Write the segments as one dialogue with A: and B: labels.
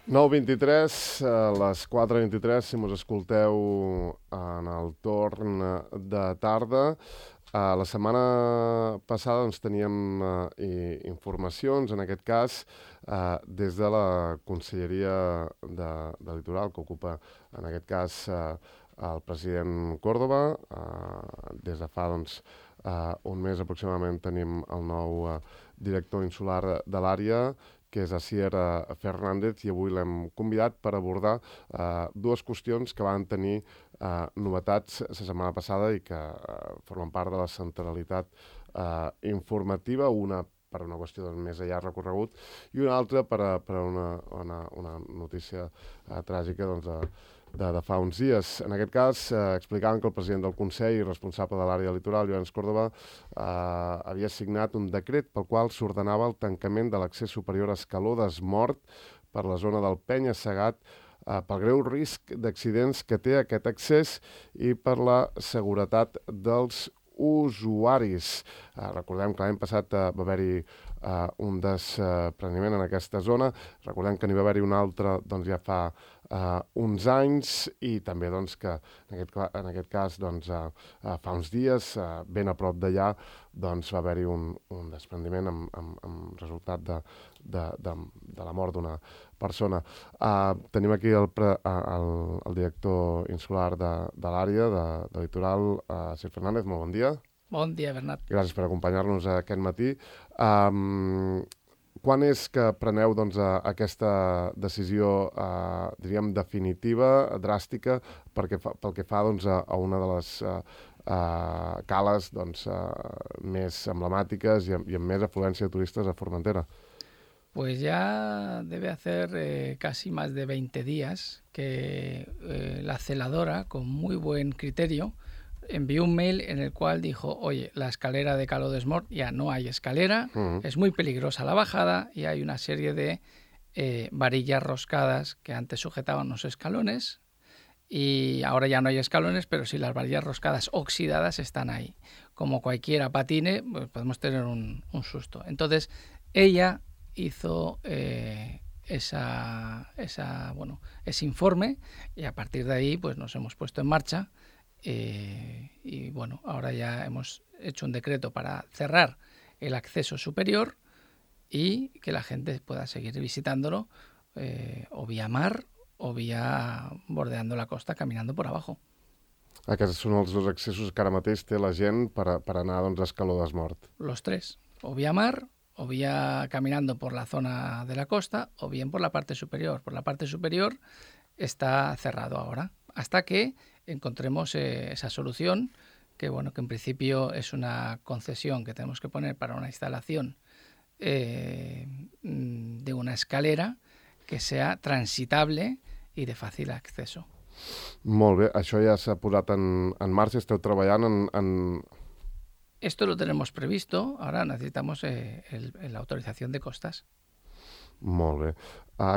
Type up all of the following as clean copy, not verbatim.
A: 9:23, a les 4:23, si mos escolteu en el torn de tarda. La setmana passada teníem informacions, en aquest cas, des de la Conselleria de Litoral, que ocupa, en aquest cas, el president Córdoba. Des de fa un mes aproximadament tenim el nou director insular de l'àrea, que és Asier Fernández, i avui l'hem convidat per abordar dues qüestions que van tenir novetats la setmana passada i que formen part de la centralitat informativa, una per una qüestió de més enllà recorregut i una altra per una notícia tràgica de fa uns dies. En aquest cas, explicaven que el president del Consell i responsable de l'àrea litoral, Llorenç Córdoba, havia signat un decret pel qual s'ordenava el tancament de l'accés superior a Escaló d'Esmort per la zona del Penya-Segat pel greu risc d'accidents que té aquest accés i per la seguretat dels usuaris. Recordem que l'any passat va haver-hi un despreniment en aquesta zona. Recordem que n'hi va haver-hi un altre ja fa uns anys i també que en aquest cas fa uns dies, ben a prop d'allà, va haver-hi un despreniment amb resultat de la mort d'una persona. Tenim aquí el director insular de l'àrea de Litoral, Asier Fernández. Molt bon dia.
B: Bon dia, Bernat.
A: Gràcies per acompanyar-nos aquest matí. Quan és que preneu aquesta decisió, diríem, definitiva, dràstica, pel que fa a una de les cales més emblemàtiques i amb més afluència de turistes a Formentera?
B: Pues ya debe hacer casi más de 20 días que la celadora, con muy buen criterio, envió un mail en el cual dijo: oye, la escalera de Caló d'Esmort ya no hay escalera, es muy peligrosa la bajada y hay una serie de varillas roscadas que antes sujetaban los escalones y ahora ya no hay escalones, pero sí las varillas roscadas oxidadas están ahí. Como cualquiera patine, pues podemos tener un susto. Entonces, ella hizo ese informe y a partir de ahí pues nos hemos puesto en marcha. Y bueno, ahora ya hemos hecho un decreto para cerrar el acceso superior y que la gente pueda seguir visitándolo o vía mar o vía bordeando la costa, caminando por abajo.
A: Aquests són els dos accessos que ara mateix té la gent per anar a Escaló d'Esmort.
B: Los tres, o vía mar, o vía caminando por la zona de la costa, o bien por la parte superior. Por la parte superior está cerrado ahora, hasta que encontremos esa solución, que bueno, que en principio es una concesión que tenemos que poner para una instalación de una escalera que sea transitable y de fàcil acceso.
A: Molt bé, això ja s'ha posat en marxa, esteu treballant en...
B: Esto lo tenemos previsto, ahora necesitamos la autorización de costas.
A: Molt bé.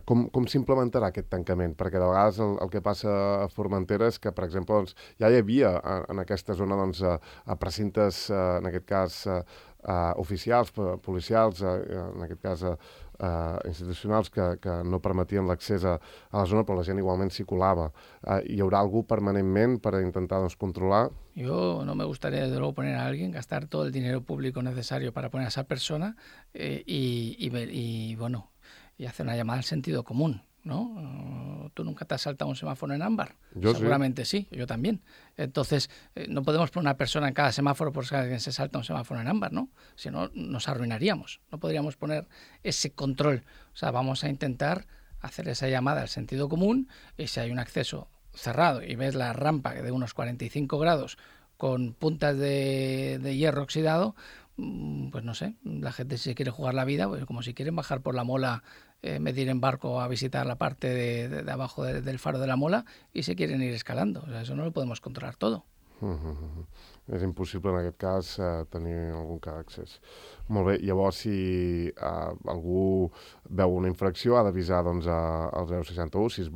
A: Com s'implementarà aquest tancament? Perquè de vegades el que passa a Formentera és que, per exemple, ja hi havia en aquesta zona precintes, en aquest cas, oficials, policials, en aquest cas institucionals, que no permetien l'accés a la zona, però la gent igualment s'hi colava. Hi haurà algú permanentment per intentar controlar?
B: Yo no me gustaría, desde luego, poner a alguien, gastar todo el dinero público necesario para poner a esa persona y hacer una llamada al sentido común, ¿no? ¿Tú nunca te has saltado un semáforo en ámbar?
A: Yo
B: seguramente sí, yo también. Entonces, no podemos poner una persona en cada semáforo por si alguien se salta un semáforo en ámbar, ¿no? Si no, nos arruinaríamos. No podríamos poner ese control. O sea, vamos a intentar hacer esa llamada al sentido común y si hay un acceso cerrado y ves la rampa de unos 45 grados con puntas de hierro oxidado, pues no sé, la gente si se quiere jugar la vida, pues como si quieren bajar por la Mola, medir en barco a visitar la parte de abajo del faro de la Mola y se quieren ir escalando. O sea, eso no lo podemos controlar todo.
A: És impossible en aquest cas tenir algun cas d'accés. Molt bé, llavors si algú veu una infracció ha d'avisar al 061 si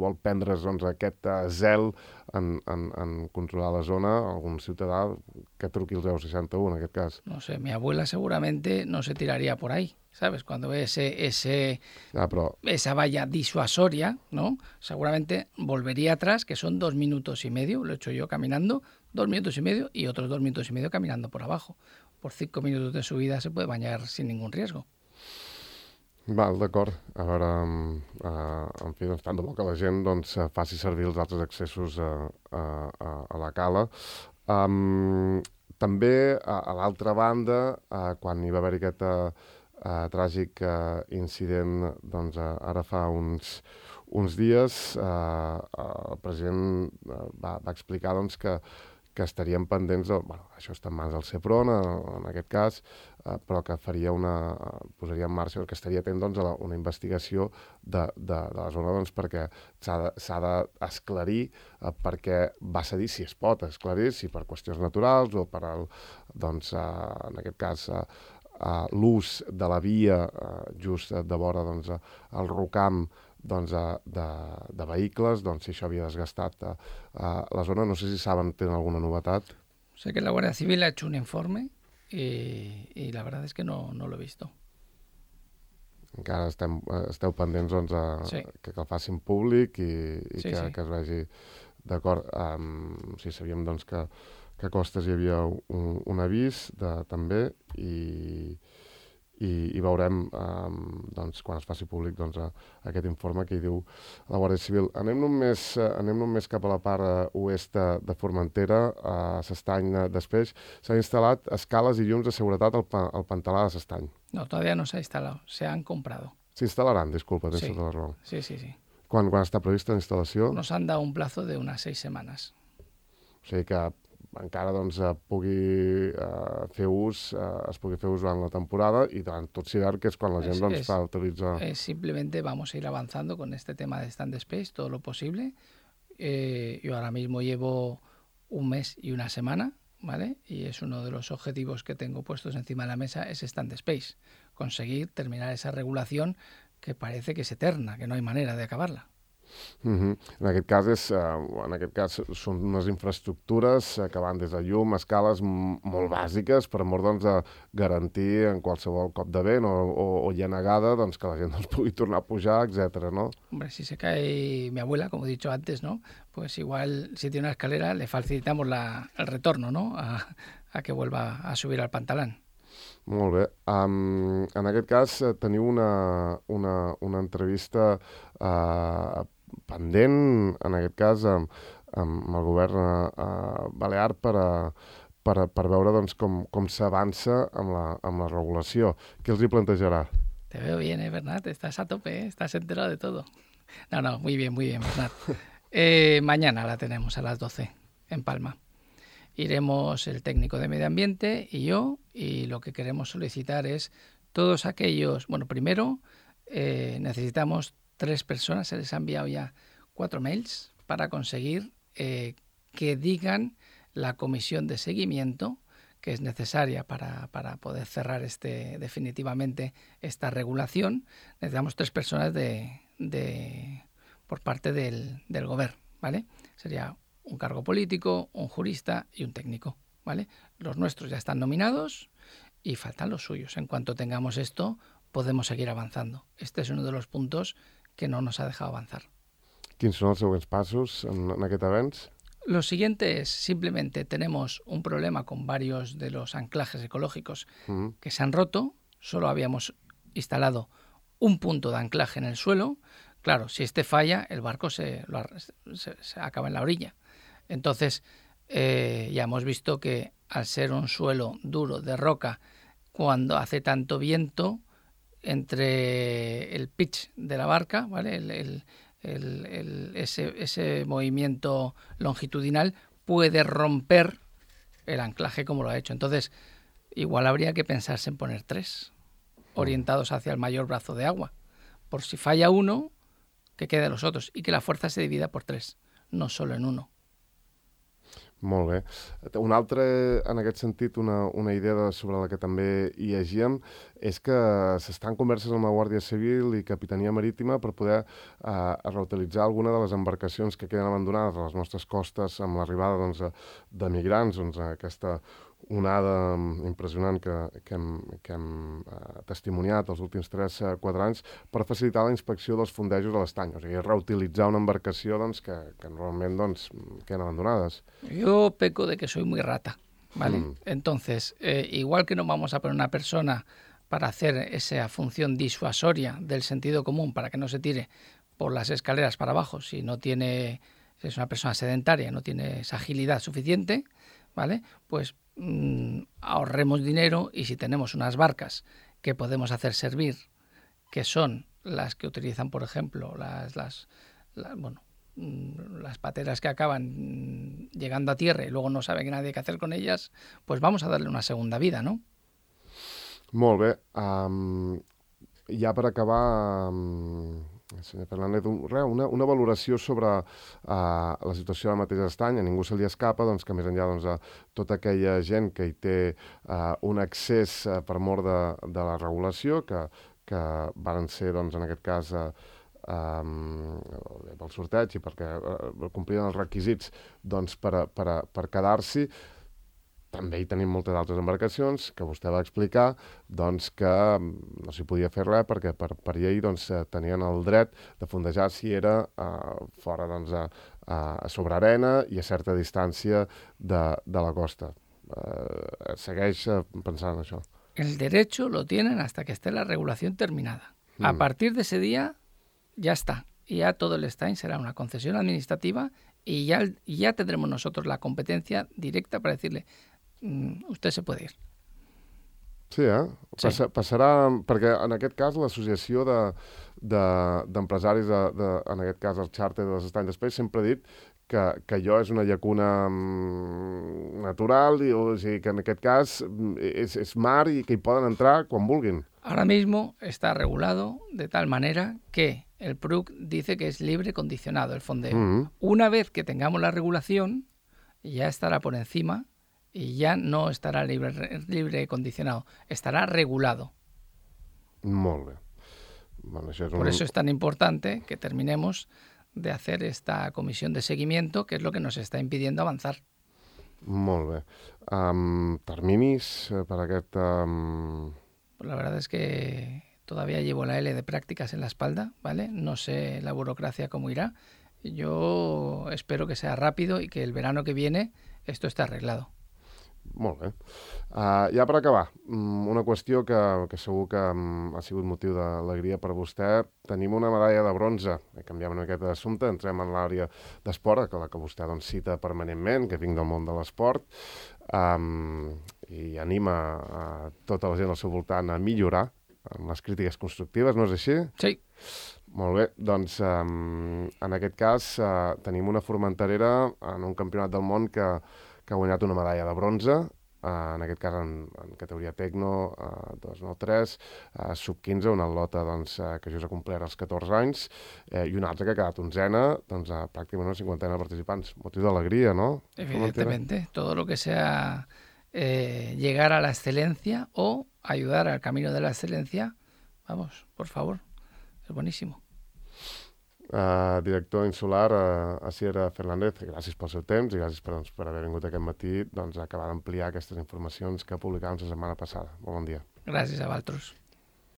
A: vol prendre's aquest zel en controlar la zona, algun ciutadà que truqui al 061 en aquest cas.
B: No sé, mi abuela seguramente no se tiraría por ahí. ¿sabes? Cuando ve
A: Però
B: esa valla disuasoria, ¿no? Seguramente volvería atrás, que son 2 minutos y medio, lo he hecho yo caminando, 2 minutos y medio y otros 2 minutos y medio caminando por abajo. Por 5 minutos de subida se puede bañar sin ningún riesgo.
A: val, d'acord. A veure, en fi, doncs, tant de bo que la gent doncs, faci servir els altres accessos a la cala. També, a l'altra banda, quan hi va haver aquest tràgic incident, doncs, ara fa uns dies, el president va explicar doncs, que estarien pendents de... Bueno, això està en mans del CEPRON, en aquest cas, però que posaria en marxa, que estaria atent doncs, a una investigació de la zona doncs, perquè s'ha d'esclarir perquè va cedir, si es pot esclarir, si per qüestions naturals o per doncs, en aquest cas, l'ús de la via just de vora doncs, el rocam doncs, de vehicles, doncs, si això havia desgastat la zona. No sé si saben, tenen alguna novetat.
B: Sé que la Guardia Civil ha hecho un informe y la verdad es que no lo he visto.
A: Encara esteu pendents doncs,
B: sí.
A: que el facin públic i
B: sí,
A: que es vegi d'acord. Sí, sabíem doncs, que a Costes hi havia un avís també i veurem doncs, quan es faci públic doncs, aquest informe que hi diu la Guàrdia Civil. Anem només cap a la part oest de Formentera, a s'Estany d'Espeix. S'han instal·lat escales i llums de seguretat al Pantalà de s'Estany.
B: No, todavía no se ha instalado, se han comprado.
A: S'instal·laran, disculpa, tens
B: sí.
A: tota la raó.
B: Sí.
A: Quan està prevista la instal·lació?
B: Nos han dado un plazo de unas 6 semanas.
A: O sigui que encara doncs, pugui fer ús, es pugui fer ús durant la temporada i durant tot l'hivern, que és quan la gent doncs, fa utilitzar...
B: Simplemente vamos a ir avanzando con este tema de Stand Space todo lo posible. Yo ahora mismo llevo un mes y una semana, ¿vale? Y es uno de los objetivos que tengo puestos encima de la mesa, es Stand Space. Conseguir terminar esa regulación que parece que es eterna, que no hay manera de acabarla.
A: En aquest cas són unes infraestructures que van des de llum, escales molt bàsiques per amor doncs, de garantir en qualsevol cop de vent o llanegada doncs, que la gent doncs, pugui tornar a pujar, etc. ¿no?
B: Hombre, si se cae mi abuela, como he dicho antes, ¿no? Pues igual si tiene una escalera le facilitamos el retorno, ¿no? A que vuelva a subir al pantalán.
A: Molt bé. En aquest cas teniu una entrevista pendent, en aquest cas, amb el govern balear per veure doncs, com s'avança amb la regulació. Què els hi plantejarà?
B: Te veo bien, Bernat? Estás a tope, estás enterado de todo. No, muy bien, Bernat. Mañana la tenemos a las 12 en Palma. Iremos el técnico de medio ambiente y yo, y lo que queremos solicitar es todos aquellos... Bueno, primero necesitamos 3 personas, se les ha enviado ya 4 mails para conseguir que digan la comisión de seguimiento que es necesaria para poder cerrar definitivamente esta regulación. Necesitamos 3 personas por parte del gobierno, ¿vale? Sería un cargo político, un jurista y un técnico, ¿vale? Los nuestros ya están nominados y faltan los suyos. En cuanto tengamos esto, podemos seguir avanzando. Este es uno de los puntos que no nos ha dejado avanzar.
A: Quins són els següents passos en aquest avenç?
B: Lo siguiente es, simplemente tenemos un problema con varios de los anclajes ecológicos que se han roto. Solo habíamos instalado un punto de anclaje en el suelo. Claro, si este falla, el barco se acaba en la orilla. Entonces, ya hemos visto que al ser un suelo duro de roca, cuando hace tanto viento, entre el pitch de la barca, ¿vale? Ese movimiento longitudinal puede romper el anclaje como lo ha hecho. Entonces, igual habría que pensarse en poner 3 orientados hacia el mayor brazo de agua. Por si falla uno, que quede los otros y que la fuerza se divida por 3, no solo en uno.
A: Molt bé. Una altra, en aquest sentit, una idea sobre la que també hi llegíem, és que s'estan converses amb la Guàrdia Civil i Capitania Marítima per poder reutilitzar alguna de les embarcacions que queden abandonades a les nostres costes amb l'arribada doncs, de migrants, doncs, aquesta onada impressionant que hem testimoniat els últims 3-4 anys per facilitar la inspecció dels fondejos a l'estany, o sigui, reutilitzar una embarcació doncs, que normalment doncs, queden abandonades.
B: Yo peco de que soy muy rata, ¿vale? Entonces, igual que no vamos a poner una persona para hacer esa función disuasoria del sentido común para que no se tire por las escaleras para abajo si no tiene, si es una persona sedentaria, no tiene esa agilidad suficiente, ¿vale? Pues ahorremos dinero y si tenemos unas barcas que podemos hacer servir, que son las que utilizan, por ejemplo, las pateras que acaban llegando a tierra y luego no sabe nadie qué hacer con ellas, pues vamos a darle una segunda vida, ¿no?
A: Molt bé. Ja per acabar, senyor Fernández, una valoració sobre la situació del mateix estany. A ningú se li escapa doncs, que més enllà de tota aquella gent que hi té un accés per mort de la regulació, que varen ser, doncs, en aquest cas, pel sorteig i perquè complien els requisits doncs, per quedar-s'hi. També hi tenim moltes altres embarcacions que vostè va explicar doncs, que no s'hi podia fer res perquè per llei doncs, tenien el dret de fondejar si era fora doncs, sobre arena i a certa distància de la costa. Segueix pensant això?
B: El derecho lo tienen hasta que esté la regulación terminada. A partir de ese día ya está. Y ya todo el estany será una concesión administrativa y ya tendremos nosotros la competencia directa para decirle usted se puede ir.
A: Sí, sí. Passarà, perquè en aquest cas l'associació d'empresaris, en aquest cas el xàrter dels estanys d'Espeix, sempre ha dit que allò és una llacuna natural, o sigui que en aquest cas és mar i que hi poden entrar quan vulguin.
B: Ahora mismo está regulado de tal manera que el PRUC dice que es libre condicionado el fondeo. Una vez que tengamos la regulación, ya estará por encima y ya no estará libre condicionado, estará regulado.
A: Molt bé. Bueno,
B: por eso es tan importante que terminemos de hacer esta comisión de seguimiento, que es lo que nos está impidiendo avanzar.
A: Molt bé. Terminis per aquest...
B: Pues la verdad es que todavía llevo la L de prácticas en la espalda, ¿vale? No sé la burocracia cómo irá. Yo espero que sea rápido y que el verano que viene esto esté arreglado.
A: Molt bé. Ja per acabar, una qüestió que segur que ha sigut motiu d'alegria per vostè. Tenim una medalla de bronze. Canviem una miqueta d'assumpte, entrem en l'àrea d'esport, la que vostè doncs, cita permanentment, que vinc del món de l'esport, i anima tota la gent al seu voltant a millorar amb les crítiques constructives, no és així?
B: Sí.
A: Molt bé, doncs en aquest cas tenim una formenterera en un campionat del món que ha guanyat una medalla de bronze, en aquest cas en categoria Tecno 293, sub-15, una atleta doncs, que just ha complert els 14 anys, i una altra que ha quedat onzena, doncs, pràcticament una cinquantena de participants. Motiu d'alegria, ¿no?
B: Evidentemente, todo lo que sea llegar a la excelencia o ayudar al camino de la excelencia, vamos, por favor, es buenísimo.
A: Director insular, Asier Fernández, gràcies pel seu temps i gràcies per haver vingut aquest matí a acabar d'ampliar aquestes informacions que publicàvem la setmana passada. Molt bon dia.
B: Gràcies a vosaltres.